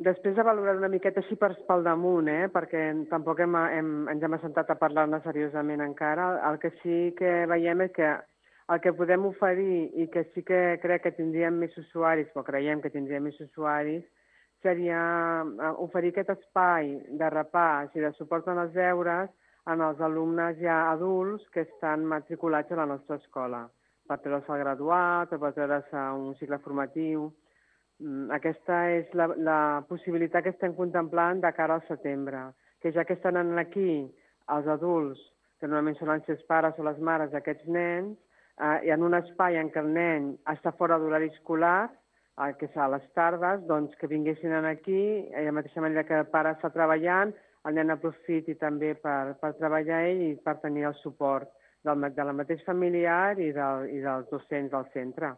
Després de valorar una miqueta així pel damunt, perquè tampoc ens hem assentat a parlar-ne seriosament encara, el que sí que veiem és que el que podem oferir i que sí que crec que tindríem més usuaris, o creiem que tindríem més usuaris, seria oferir aquest espai de repàs i de suport en els deures als alumnes ja adults que estan matriculats a la nostra escola, per treure's el graduat o per treure's un cicle formatiu. Aquesta és la possibilitat que estem contemplant de cara al setembre, que ja que estan aquí els adults, que normalment són els seus pares o les mares d'aquests nens, i en un espai en què el nen està fora d'horari escolar, que és a les tardes, doncs que vinguessin aquí, de la mateixa manera que el pare està treballant, el nen aprofiti també per treballar ell i per tenir el suport del mateix familiar i dels docents del centre.